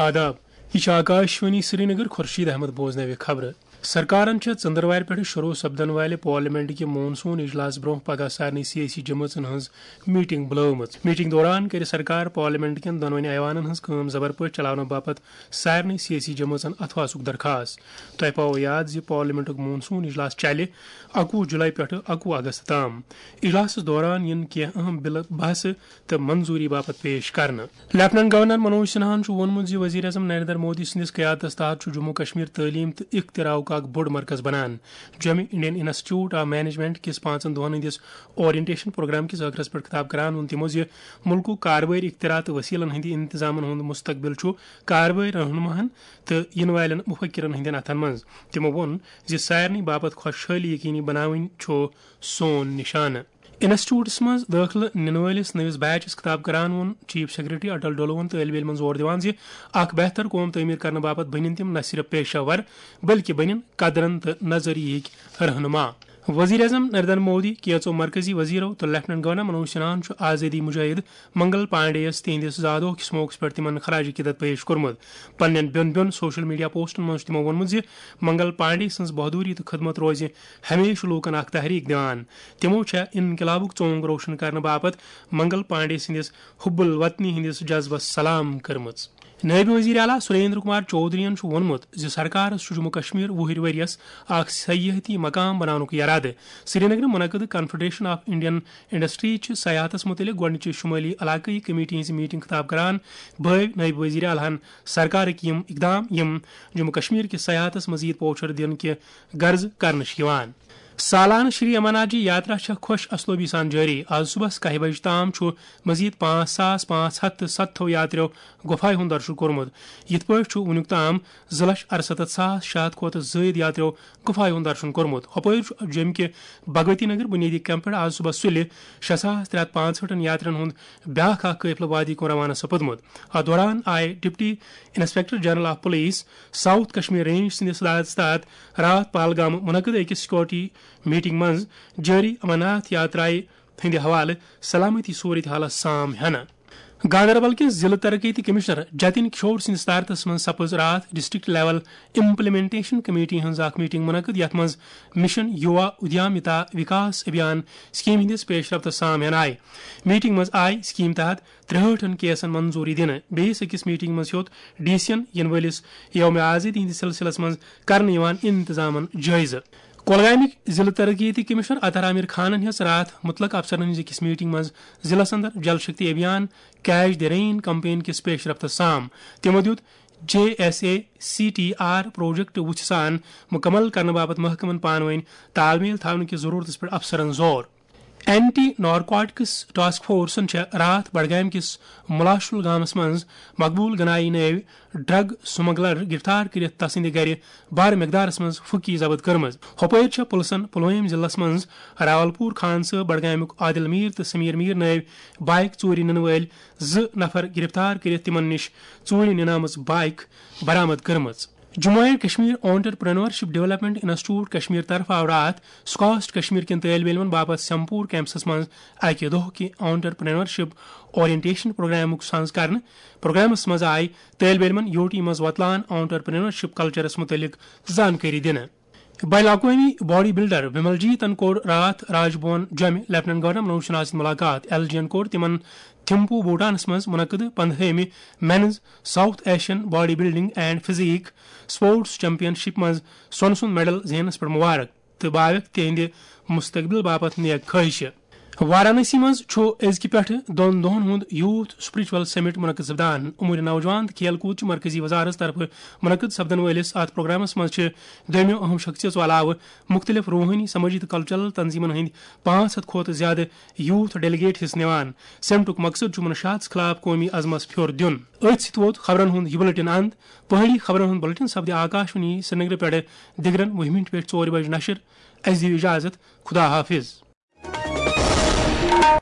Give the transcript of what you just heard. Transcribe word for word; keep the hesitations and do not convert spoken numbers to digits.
آداب، یہِ چھِ آکاشوانی سرینگر، خورشید احمد بوزناوِ خبرٕ۔ سرکارن چھےٚ ژٔنٛدٕروارِ پٮ۪ٹھٕ شروع سپدن والہِ پارلیمنٹ کہِ مون سون اجلاس برونٛہہ پگاہ سارنٕے سیٲسی جمٲژن ہٕنٛز میٹنگ بُلٲومٕژ۔ میٹنگ دوران کرِ سرکار پارلیمنٹ کٮ۪ن دۄنوٕنی ایوانن ہٕنٛز کٲم زبر پٲٹھۍ چلاونہٕ باپتھ سارنٕے سیٲسی جمٲژن اتھواسُک درخاست۔ تۄہہِ پاوو یاد زِ پارلیمنٹُک مون سون اجلاس چلہِ اَکوُہ جولائی پٮ۪ٹھٕ اَکوُہ اگست تام۔ اجلاسس دوران یِن کینٛہہ اہم بلہٕ بحثہٕ تہٕ منظوری باپتھ پیش کرنہٕ۔ لیفٹیننٹ گورنر منوج سنہاہن چھُ ووٚنمُت زِ وزیر اعظم نریندر مودی سٕنٛدِس قیادتس تحت چھُ جموں کشمیر تعلیٖم تہٕ اختراعُک اکھ بوٚڑ مرکز بنان۔ جوٚمہِ انڈین انسٹیٹیوٹ آف مینجمنٹ کِس پانٛژن دۄہن ہٕنٛدِس اورینٹیشن پروگرام کِس ٲخرس پٮ۪ٹھ خطاب کران ووٚن تِمو زِ مُلکُک کاربٲرۍ اختراع تہٕ وسیلن ہٕنٛدِ انتظامن ہُنٛد مستقبل چھُ کاربٲرۍ رہنماہن تہٕ یِنہٕ والٮ۪ن مفکرن ہٕنٛدٮ۪ن اتھن منٛز۔ تِمو ووٚن زِ سارنٕے باپتھ خۄشحٲلی یقینی بناوٕنۍ چھُ سون نشانہٕ۔ انسٹیٹیوٹس منٛز دٲخلہٕ نِنہٕ وٲلِس نٔوِس بیچس خطاب کران ووٚن چیف سیکرٹری اٹل ڈولوہن طٲلب علمن زور دِوان زِ اکھ بہتر قوم تعمیر کرنہٕ باپتھ بٔنِن تِم نہ صرف پیشہ ور بلکہِ بٔنِن قدرن تہٕ نظریہٕکۍ رہنما۔ وزیر اعظم نریندر مودی، کینژو مرکزی وزیرو تہٕ لیفٹیننٹ گورنر منوج سنہاہن چھُ آزٲدی مجاہد منگل پانڈے یَس تِہنٛدِس زا دۄہ کِس موقعس پٮ۪ٹھ تِمن خراج عقیدت پیش کوٚرمُت۔ پننٮ۪ن بیوٚن بیوٚن سوشل میڈیا پوسٹن منٛز چھُ تِمو ووٚنمُت زِ منگل پانڈے سٕنٛز بہادری تہٕ خدمت روزِ ہمیشہٕ لوٗکن اکھ تحریک دِوان۔ تِمو چھےٚ انقلابُک ژونگ روشن کرنہٕ باپتھ منگل پانڈے سٕنٛدِس حب الوطنی ہٕنٛدِس جذبس سلام کٔرمٕژ۔ نٲیِب وزیر اعلیٰ سریندر کمار چودھرین چھُ ووٚنمُت زِ سرکارس چھُ جموں کشمیر وُہٕرۍ ؤرۍ یَس اکھ سیاحتی مقام بناونُک یرادٕ۔ سرینگرٕ منعقد کنفیڈریشن آف انڈین انڈسٹریز چہِ سیاحتس مُتعلق گۄڈٕنِچہِ شُمٲلی علاقٲیی کمیٹی ہٕنٛزِ میٹنگ خطاب کران بٲوۍ نٲیِب وزیر اعلیٰ ہن سرکارٕکۍ یِم اقدام یِم جموں کشمیر کِس سیاحتس مزید پوچھر دِنہٕ کہِ غرضہٕ کرنہٕ چھِ یِوان۔ سالانہٕ شری امرناتھ جی یاترا چھےٚ خۄش اسلوبی سان جٲری۔ آز صُبحس کاہہِ بجہِ تام چھُ مزید پانٛژھ ساس پانٛژھ ہتھ تہٕ ستتھو یاتریو گۄپھایہِ ہُنٛد درشُن کوٚرمُت۔ یِتھ پٲٹھۍ چھُ وُنیُک تام زٕ لچھ ارستتھ ساس شےٚ ہتھ کھۄتہٕ زٲیِد یاتریو گۄپھایہِ ہُنٛد درشُن کوٚرمُت۔ ہُپٲرۍ چھُ جوٚمہِ کہِ بھگوتی نگر بُنیٲدی کیمپ پٮ۪ٹھ آز صُبحس سُلہِ شےٚ ساس ترٛےٚ ہتھ پانٛژہٲٹھن یاترین ہُنٛد بیٛاکھ اکھ قٲفلہٕ وادی کُن روانہٕ سپُدمُت۔ اتھ دوران آیہِ deputy inspector general of police south Kashmir range سٕنٛدِس ہدایتس تحت راتھ پہلگام منعقد أکِس سیکورٹی میٹنگ منٛز جٲری امرناتھ یاترایہِ ہٕنٛدِ حوالہٕ سلامتی صورت حالس سام ہینہٕ۔ گاندربل کِس ضلع ترقیتی کمشنر جتن کشور سٕنٛدِس صدارتس منٛز سپٕز راتھ ڈسٹرکٹ لیول امپلیمنٹیشن کمیٹی ہٕنٛز اکھ میٹنگ منعقد، یتھ منٛز مشن یوا ادیامتا وکاس ابھیان سکیم ہٕنٛدِس پیش رفتس سام ہینہٕ آیہِ۔ میٹنگ منٛز آیہِ سکیم تحت ترٛہٲٹھن کیسن منظوری دِنہٕ۔ بیٚیِس أکِس میٹنگ منٛز ہیوٚت ڈی سین یِنہٕ وٲلِس یوم آزادی ہٕنٛدِس سلسلس منٛز کرنہٕ یِوان انتظامن جٲیزٕ۔ کۄلگامٕکۍ ضلع ترقیتی کمشنر اطہر عامر خانن ہیٚژ راتھ مُتلق افسرن ہٕنٛز أکِس میٹنگ منٛز ضلعس اندر Jal Shakti Abhiyan catch the rain campaign کِس پیش رفتس سام۔ تِمو دیُت J S A C T R project وُژھِ سان مُکمل کرنہٕ باپتھ محکمن پانہٕ وٲنۍ تال میل تھاونہٕ کِس ضروٗرتس پٮ۪ٹھ افسرن زور۔ اینٹی نارکوٹکس ٹاسک فورسن چھےٚ راتھ بڈگامہِ کِس ملاشل گامس منٛز مقبول گنایی نٲوۍ ڈرگ سمگلر گرفتار کٔرِتھ تسٕنٛدِ گرِ بارٕ مقدارس منٛز پھُکی ضبط کٔرمٕژ۔ ہۄپٲرۍ چھےٚ پُلسن پُلوٲمۍ ضلعس منٛز راولپور خان صٲب بڈگامیُک عادل میٖر تہٕ سمیٖر میٖر نٲوۍ بایک ژوٗرِ نِنہٕ وٲلۍ زٕ نفر گرفتار کٔرِتھ تِمن نِش ژوٗرِ نِنٲمٕژ بایک برآمد کٔرمٕژ۔ Jammu and Kashmir entrepreneurship development institute Kashmir طرفہٕ آو راتھ سکاسٹ کشمیر کٮ۪ن طٲلبہِ علمن باپتھ سیمپور کیمپسس منٛز اکہِ دۄہ کہِ آنٹرپرینورشپ اورینٹیشن پروگرامُک سنز کرنہٕ۔ پروگرامس منٛز آیہِ طٲلبہِ علمن یوٹی منٛز وۄتلان آنٹرپرینورشپ کلچرس مُتعلق زانکٲری دِنہٕ۔ بین الاقوٲمی باڈی بلڈر ومل جیتن کوٚر راتھ راج بھون جوٚمہِ لیفٹیننٹ گورنر منوج سنہا سۭتۍ مُلاقات۔ ایل جی ین کوٚر تِمن تھمپو بھوٹانس منٛز منعقد پندہٲمہِ men's south Asian body building and physique sports championship منٛز سۄنہٕ سُنٛد میڈل زیننس پٮ۪ٹھ مبارک تہٕ باوکھ تِہنٛدِ مستقبل باپتھ نیک خواہشہِ۔ وارانسی منٛز چھُ أزکہِ پٮ۪ٹھٕ دۄن دۄہَن ہُنٛد یوتھ سپرچوئل سمٹ منعقد سپدان۔ امور نوجوان تہٕ کھیل کود چہِ مرکزی وزارت طرفہٕ منعقد سپدن وٲلِس اتھ پروگرامس منٛز چھِ دوٚیمٮ۪و اہم شخصیژو علاوٕ مُختٔلِف روحٲنی، سمٲجی تہٕ کلچرل تنظیمن ہٕنٛدۍ پانٛژھ ہتھ کھۄتہٕ زیادٕ یوتھ ڈیلیگیٹ حصہٕ نِوان۔ سمٹُک مقصد چھُ منشیات خلاف قومی عزمس پھیوٚر دیُن۔ أتھۍ سۭتۍ ووت خبرن ہُنٛد یہِ بلیٹن اند۔ پہٲڑی خبرن ہُنٛد بلیٹن سپدِ آکاشوانی سرینگرٕ پٮ۪ٹھٕ دِگرن وُہہِ مِنٹہِ پٮ۪ٹھ ژورِ بجہِ نشر۔ اسہِ دِیِو اجازت۔ خدا حافظ۔